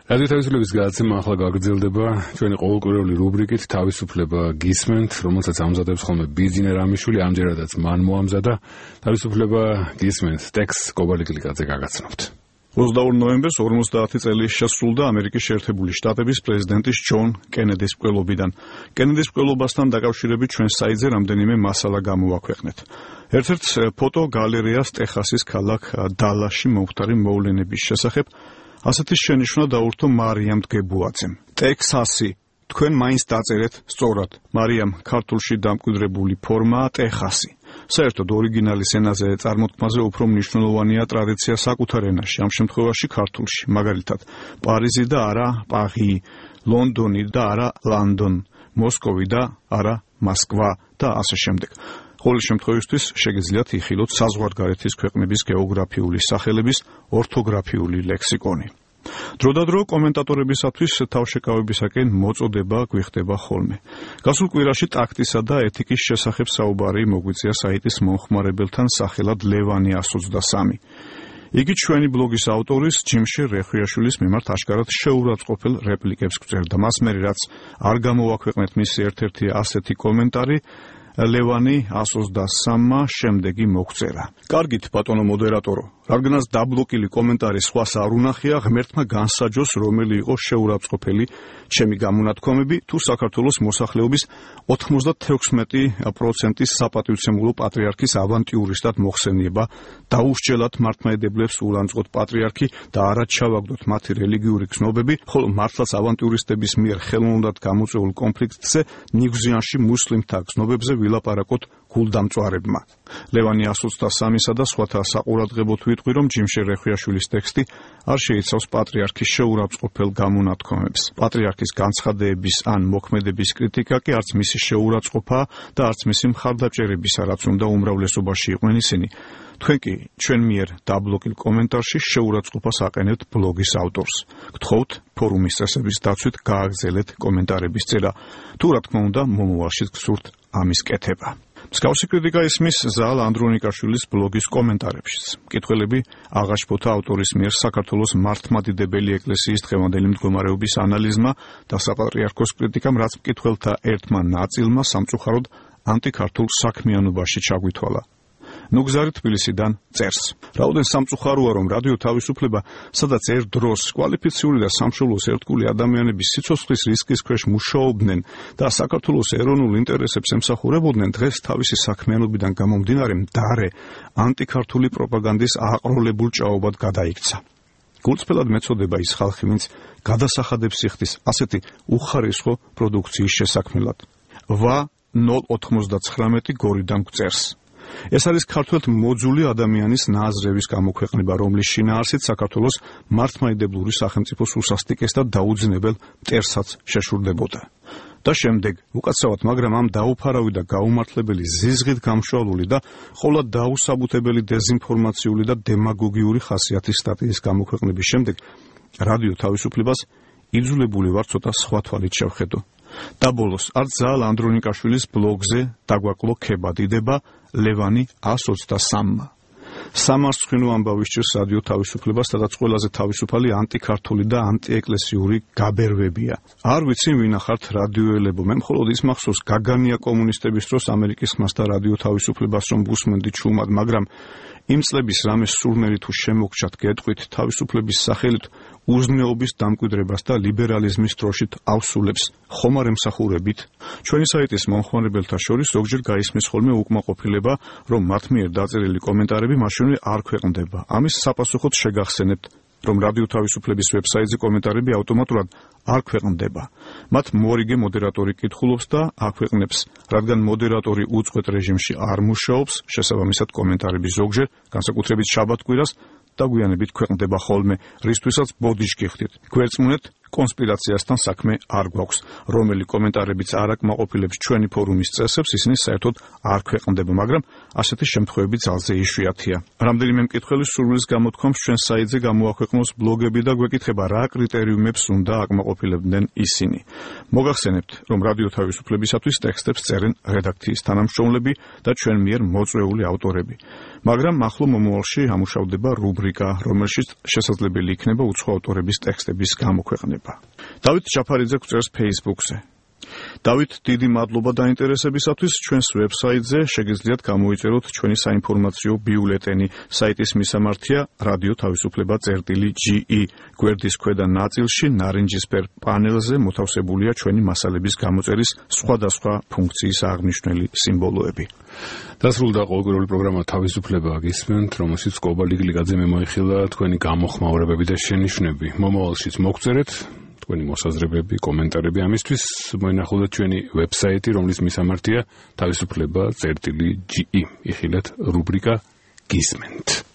რადიო თავისუფლების გადაცემა ახლა გაგრძელდება ჩვენი ყოველკვირეული რუბრიკით თავისუფლება გისმენთ, რომელსაც ამზადებს ხოლმე ბიძინა რამიშვილი, ამჯერადაც მან მოამზადა. თავისუფლება გისმენთ, ტექსტს კობალიკლიკაძე გაგაცნობთ. 22 ნოემბერს 50 წელი შესრულდა ამერიკის შეერთებული შტატების პრეზიდენტის ჯონ კენედის მკვლელობიდან. კენედის მკვლელობასთან დაკავშირებით ჩვენ საიტზე რამდენიმე მასალა გამოვაქვეყნეთ. ერთ-ერთ ფოტო გალერეას ტეხასის ქალაქ დალასში მომხდარი მოვლენების შესახებ ასეთი შენიშვნა დაურთო მარიამ დგებუაძემ. ტექსასი, თქვენ მაინც დაწერეთ სწორად. მარიამ, ქართულში დამკვიდრებული ფორმაა ტეხასი. საერთოდ ორიგინალის ენაზე წარმოთქმაზე უფრო მნიშვნელოვანია ტრადიცია საკუთარ ენაში, ამ შემთხვევაში ქართულში. მაგალითად, პარიზი და არა პარი, ლონდონი და არა ლანდონ, მოსკოვი და არა მოსკვა და ასე შემდეგ. ყოველ შემთხვევისთვის შეგიძლიათ იხილოთ საზღვარგარეთის ქვეყნების გეოგრაფიული სახელების ორთოგრაფიული ლექსიკონი. დროდადრო კომენტატორებისათვის თავშეკავებისაკენ მოწოდება გვიხდება ხოლმე. გასულ კვირაში ტაქტისა და ეთიკის შესახებ საუბარი მოგვიწია საიტის მომხმარებელთან სახელად ლევანი 123. იგი ჩვენი ბლოგის ავტორის ჯიმშე რეხვიაშვილის მიმართ აშკარად შეურაცხყოფელ რეპლიკებს გვწერდა. მას მერე რაც არ გამოვაქვეყნეთ მისი ერთ-ერთი ასეთი კომენტარი, ლევანი 123-მა შემდეგი მოგწერა. კარგით, ბატონო მოდერატორო, რადგანაც დაბლოკილი კომენტარი სხვას არ უნახია, ღმერთმა განსაჯოს, რომელი იყო შეურაცხყოფელი ჩემი გამონათქვამები, თუ საქართველოს მოსახლეობის 96% საპატივცემულო პატრიარქის ავანტიურისტად მოხსენიება, დაუსჯელად მართლმადიდებლებს ულანძღოთ პატრიარქი და არა ჩავაგდოთ მათი რელიგიური გზნობები, ხოლო მართლაც ავანტიურისტების მიერ ხელოვნურად გამოწვეულ კონფლიქტზე ნიგვზიანში მუსლიმთა გზნობებზე ვილაპარაკოთ გულდამწვარებმა. ლევანი 123-სა და სხვათა საყურადღებოდ ვიტყვი, რომ ჯიმშე რეხვიაშვილის ტექსტი არ შეიცავს პატრიარქის შეურაცხყოფელ გამონათქვამებს. პატრიარქის განცხადების ან მოქმედების კრიტიკა კი არც მისი შეურაცხყოფაა და არც მისი მხარდაჭერებისა, რაც უნდა უმრავლესობაში იყვნენ ისინი. თქვენ კი ჩვენ მიერ დაბლოკილ კომენტარში შეურაცხყოფას აყენებთ ბლოგის ავტორს. გთხოვთ ფორუმის წესების დაცვით გააგრძელეთ კომენტარების წერა. თუ რა თქმა უნდა, მომავალშიც გსურთ ამის კეთება. მსგავსი კრიტიკა ისმის ზალ ანდრონიკაშვილის ბლოგის კომენტარებშიც. მკითხველები აღაშფოთა ავტორის მიერ საქართველოს მართლმადიდებელი ეკლესიის დღევანდელი მდგომარეობის ანალიზმა და საპატრიარქოს კრიტიკამ, რაც მკითხველთა ერთმა ნაწილმა სამწუხაროდ ანტიქართულ საქმიანობაში ჩაგვითვალა. ნუგზარი თბილისიდან წერს. რაოდენ სამწუხაროა, რომ რადიო თავისუფლება, სადაც ერთ დროს კვალიფიციური და სამშობლოს ერთგული ადამიანების სიცოცხლის რისკის ქვეშ მუშაობდნენ და საქართველოს ეროვნულ ინტერესებს ემსახურებოდნენ, დღეს თავისი საქმიანობიდან გამომდინარე მდარე ანტიქართული პროპაგანდის აყროლებულ ჭაობად გადაიქცა. გულწრფელად მეწოდება ის ხალხი, ვინც გადასახადებს იხდის ასეთი უხარისხო პროდუქციის შესაქმნელად. ვა 099 გორიდან გწერს. ეს არის ქართველთ მოძული ადამიანის ნაზრების გამოქვეყნება, რომლის შინაარსით საქართველოს მართლმადიდებლური სახელმწიფოს უსასტიკეს და დაუძინებელ მტერსაც შეშურდებოდა. და შემდეგ, უკაცრავად, მაგრამ ამ დაუფარავი და გაუმართლებელი ზიზღით გამშვალული და ყოვლად დაუსაბუთებელი დეზინფორმაციული და დემაგოგიური ხასიათის სტატიის გამოქვეყნების შემდეგ, რადიო თავისუფლებას იძულებული ვარ ცოტა სხვა თვალით შევხედო. და ბოლოს, არც ზალ ანდრონიკაშვილის ბლოგზე დაგვაკლო ქებადიდება ლევანი 123-მა. სამარცხვინო ამბავი სჭირს რადიო თავისუფლებას, სადაც ყველაზე თავისუფალი ანტიქართული და ანტიეკლესიური გაბერვებია. არ ვიცი ვინ ახართ რადიოელებო, მე მხოლოდ ის მახსოვს გაგანია კომუნისტების დროს ამერიკის ხმას და რადიო თავისუფლებას რომ ბუსმენდი ჩუმად, მაგრამ იმ წლების რამე სურნელი თუ შემოგჩათ გეტყვით თავისუფლების სახელით უზნეობის დამკვიდრებას და ლიბერალიზმის დროშით ავსულებს ხომ არ ემსახურებით? ჩვენი საიტის მომხმარებელთა შორის ზოგჯერ გაისმის ხოლმე უკმაყოფილება, რომ მათ მიერ დაწერილი კომენტარები მაშინვე არ ქვეყნდება. ამის საპასუხოდ შეგახსენებთ, რომ რადიო თავისუფლების ვებსაიტზე კომენტარები ავტომატურად არ ქვეყნდება. მათ მორიგე მოდერატორი კითხულობს და აქვეყნებს, რადგან მოდერატორი უწყვეტ რეჟიმში არ მუშაობს, შესაბამისად კომენტარები ზოგჯერ, განსაკუთრებით შაბათ-კვირას, დაგვიანებით ქვეყნდება ხოლმე, რისთვისაც ბოდიშ გიხდით. გვერწმუნეთ, კონსპირაციასთან საქმე არ გვაქვს. რომელი კომენტარებიც არ აკმაყოფილებს ჩვენი ფორუმის წესებს, ისინი საერთოდ არ ქვეყნდება, მაგრამ ასეთი შემთხვევები ძალზე იშვიათია. რამდენიმე მკითხველი სურვილის გამოთქვამს ჩვენ საიტზე გამოაქვეყნოს ბლოგები და გვეკითხება, რა კრიტერიუმებს უნდა აკმაყოფილებდნენ ისინი. მოგახსენებთ, რომ რადიო თავისუფლებისათვის ტექსტებს წერენ რედაქციის თანამშრომლები და ჩვენ მიერ მოწვეული ავტორები. მაგრამ ახლო მომავალში ამუშავდება რუბრიკა, რომელშიც შესაძლებელი იქნება უცხო ავტორების ტექსტების გამოქვეყნება. დავით ჯაფარიძე გვწერს Facebook-ზე. დავით, დიდი მადლობა დაინტერესებისათვის. ჩვენს ვებსაიტზე შეგიძლიათ გამოიწეროთ ჩვენი საინფორმაციო ბიულეტენი. საიტის მისამართია რადიო თავისუფლება წერტილი.ge. გვერდის ქვედა ნაწილში ნარინჯისფერ პანელზე მოთავსებულია ჩვენი მასალების გამოწერის სხვადასხვა ფუნქციის აღნიშნული სიმბოლოები. დასრულდა ყოველკვირეული პროგრამა თავისუფლება გისმენთ, რომელშიც კობა ლიგლიგაძემ მოიხილა თქვენი გამოხმაურებები და შენიშვნები. მომავალშიც მოგწერეთ თქვენი მოსაზრებები, კომენტარები. ამისთვის მოინახულოთ ჩვენი ვებსაიტი, რომლის მისამართია თავისუფლება წერტილი.ge. იხილეთ რუბრიკა გისმენთ.